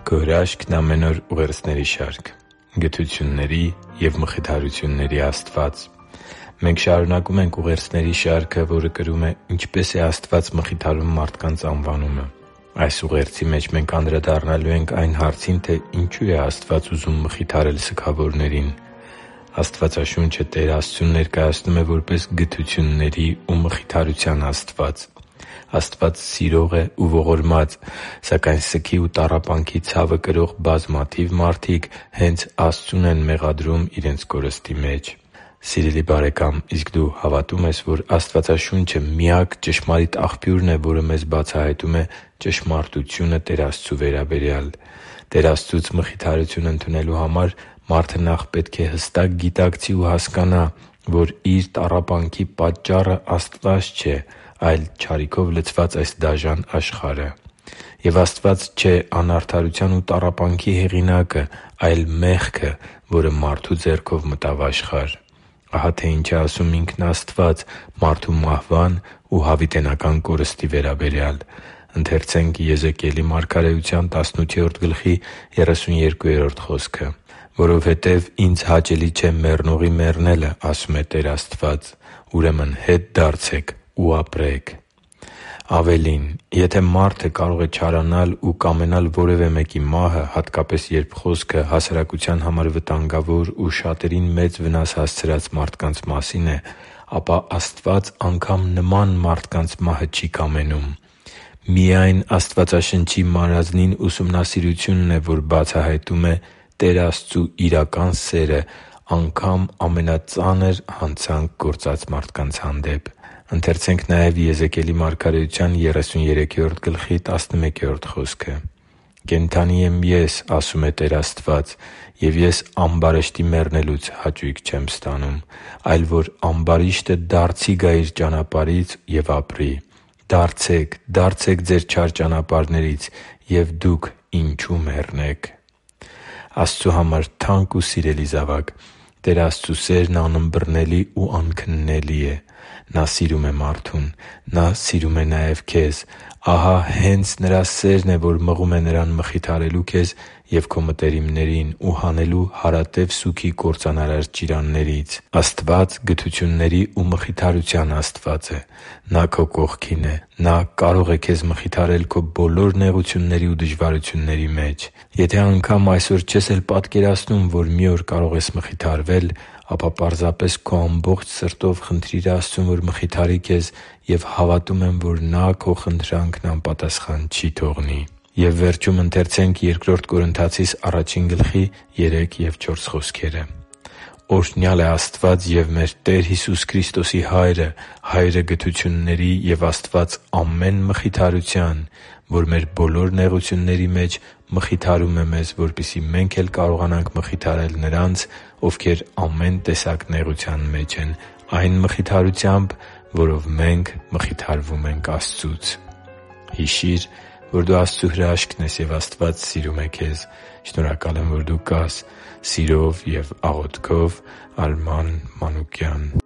Քո հրաշքն ամեն օր ուղերձների շարք։ Գթությունների և մխիթարությունների Աստված։ Մենք շարունակում ենք ուղերձների շարքը, որը կրում է «Ինչպե՞ս է Աստված մխիթարում մարդկանց» անվանումը։ Այս ուղերձի մեջ մենք անդրադառնալու ենք այն հարցին, թե ինչու է Աստված ուզում մխիթարել սգավորներին։ Աստվածաշունչը Տեր Աստծուն ներկայացնում է որպես գթությունների ու մխիթարության Աստված։ Աստված սիրող է ու ողորմած, սակայն սգի ու տառապանքի ցավը կրող բազմաթիվ մարդիկ հենց Աստծուն են մեղադրում իրենց կորստի մեջ։ Սիրելի՛ բարեկամ, իսկ դու հավատո՞ւմ ես, որ Աստվածաշունչը միակ ճշմարիտ աղբյուրն է, որը մեզ բացահայտում է ճշմարտությունը Տեր Աստծու վերաբերյալ։ Տեր Աստծուց մխիթարություն ընդունելու համար մարդը նախ պետք է հստակ գիտակցի ու հասկանա, որ իր տառապանքի պատճառը Աստված չէ, այլ չարիքով լցված այս դաժան աշխարհը։ Եվ Աստված չէ անարդարության ու տառապանքի հեղինակը, այլ մեղքը, որը մարդու ձեռքով մտավ աշխարհ։ Ահա թե ինչ է ասում ինքն Աստված մարդու մահվան ու հավիտենական կորստի վերաբերյալ. «Որովհետև ինձ հաճելի չէ մեռնողի մեռնելը, ասում է Տեր Աստված, ուրեմն հետ դարձե՛ք ու ապրե՛ք» (Եզեկիել 32:30)։ Ավելին, եթե մարդը կարող է չարանալ ու կամենալ որևէ մեկի մահը, հատկապես, երբ խոսքը հասարակության համար վտանգավոր ու շատերին մեծ վնաս հասցրած մարդկանց մասին է, ապա Աստված անգամ նման մարդկանց մահը չի կամենում։ Միայն Աստվածաշնչի մանրազնին ուսումնասիրությունն է, որ բացահայտում է Տեր Աստծու իրական սերը անգամ ամենածանր հանցանք գործած մարդկանց հանդեպ։ «Կենդանի եմ Ես, ասում է Տեր Աստված, և Ես ամբարիշտի մեռնելուց հաճույք չեմ ստանում, այլ որ ամբարիշտը դարձի գա իր ճանապարհից և ապրի։ Դարձե՛ք, դարձե՛ք ձեր չար ճանապարհներից, և դուք ինչո՞ւ մեռնեք» (Եզեկիել 33:11-12)։ Աստծու համար թանկ ու սիրելի՛ զավակ, Տեր Աստծու սերն անըմբռնելի ու անքննելի է։ Նա սիրում է մարդուն։ Նա սիրում է նաև քեզ։ Ահա հենց Նրա սերն է, որ մղում է Նրան մխիթարելու քեզ և քո մտերիմներին ու հանելու հարատև սուգի կործանարար ճիրաններից։ Աստված գթությունների ու մխիթարության Աստված է։ Նա քո կողքին է։ Նա կարող է քեզ մխիթարել քո բոլոր նեղությունների ու դժվարությունների մեջ։ Եթե անգամ այսօր չես էլ պատկերացնում, որ մի օր կարող ես մխիթարվել, ապա պարզապես քո ամբողջ սրտով խնդրի՛ր Աստծուն, որ մխիթարի քեզ, և հավատում եմ, որ Նա քո խնդրանքն անպատասխան չի թողնի։ «Օրհնյալ է Աստված և մեր Տեր Հիսուս Քրիստոսի Հայրը, Հայրը գթությունների և Աստված ամեն մխիթարության, որ մեր բոլոր նեղությունների մեջ մխիթարում է մեզ, որպեսզի մենք էլ կարողանանք մխիթարել նրանց, ովքեր ամեն տեսակ նեղության մեջ են, այն մխիթարությամբ, որով մենք մխիթարվում ենք Աստծուց» (Բ Կորնթացիս 1:3-4)։ Հիշի՛ր, որ դու Աստծո հրաշքն ես, և Աստված սիրում է քեզ։ Շնորհակալ եմ, որ դու կա՛ս։ Սիրով և աղոթքով՝ Արման Մանուկյան։